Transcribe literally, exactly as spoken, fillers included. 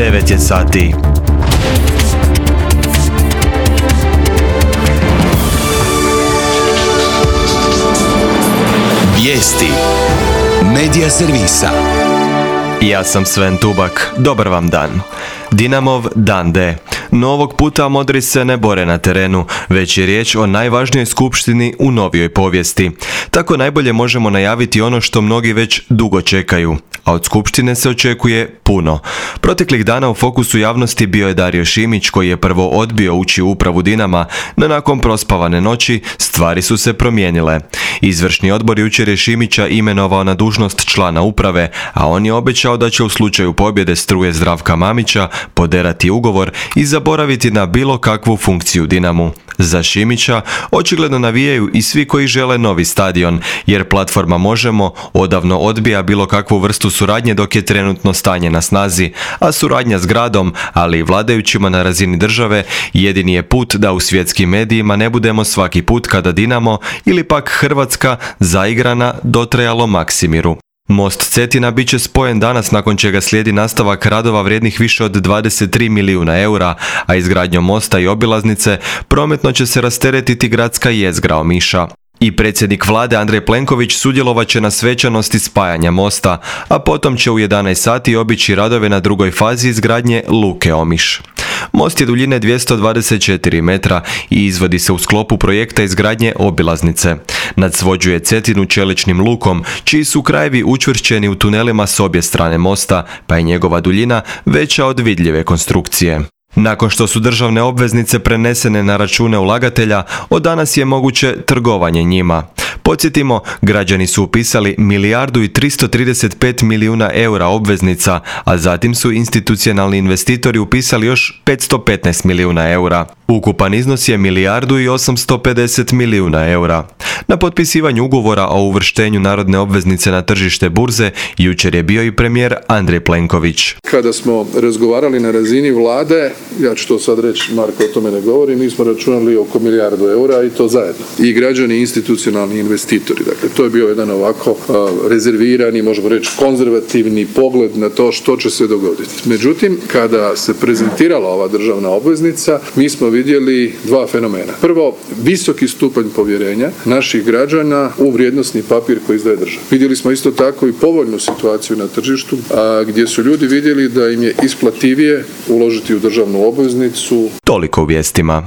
devet je sati. Vijesti Medija servisa. Ja sam Sven Tubak, dobar vam dan. Dinamov dan D. No ovog puta modri se ne bore na terenu, već je riječ o najvažnijoj skupštini u novijoj povijesti. Tako najbolje možemo najaviti ono što mnogi već dugo čekaju, a od skupštine se očekuje puno. Proteklih dana u fokusu javnosti bio je Dario Šimić, koji je prvo odbio ući u upravu Dinama, no nakon prospavane noći stvari su se promijenile. Izvršni odbor jučer je Šimića imenovao na dužnost člana uprave, a on je obećao da će u slučaju pobjede Struje Zdravka Mamića poderati ugovor i zaboraviti na bilo kakvu funkciju Dinamu. Za Šimića očigledno navijaju i svi koji žele novi stadion, jer platforma Možemo odavno odbija bilo kakvu vrstu suradnje dok je trenutno stanje na snazi, a suradnja s gradom, ali i vladajućima na razini države, jedini je put da u svjetskim medijima ne budemo svaki put kada Dinamo ili pak Hrvatska zaigra na dotrajalom Maksimiru. Most Cetina bit će spojen danas, nakon čega slijedi nastavak radova vrijednih više od dvadeset tri milijuna eura, a izgradnjom mosta i obilaznice prometno će se rasteretiti gradska jezgra Omiša. I predsjednik vlade Andrej Plenković sudjelovat će na svečanosti spajanja mosta, a potom će u jedanaest sati obići radove na drugoj fazi izgradnje Luke Omiš. Most je duljine dvjesto dvadeset četiri metra i izvodi se u sklopu projekta izgradnje obilaznice. Nadsvođuje Cetinu čeličnim lukom, čiji su krajevi učvršćeni u tunelima s obje strane mosta, pa je njegova duljina veća od vidljive konstrukcije. Nakon što su državne obveznice prenesene na račune ulagatelja, od danas je moguće trgovanje njima. Podsjetimo, građani su upisali milijardu i tristo trideset pet milijuna eura obveznica, a zatim su institucionalni investitori upisali još petsto petnaest milijuna eura. Ukupan iznos je milijardu i osamsto pedeset milijuna eura. Na potpisivanju ugovora o uvrštenju narodne obveznice na tržište burze jučer je bio i premijer Andrej Plenković. Kada smo razgovarali na razini vlade, ja ću to sad reći, Marko o tome ne govori, mi smo računali oko milijardu eura i to zajedno. I građani i institucionalni investitori. Dakle, to je bio jedan ovako uh, rezervirani, možemo reći konzervativni pogled na to što će se dogoditi. Međutim, kada se prezentirala ova državna obveznica, mi smo vidjeli dva fenomena. Prvo, visoki stupanj povjerenja naših građana u vrijednosni papir koji izdaje država. Vidjeli smo isto tako i povoljnu situaciju na tržištu, a, gdje su ljudi vidjeli da im je isplativije uložiti u državnu obveznicu. Toliko u vijestima.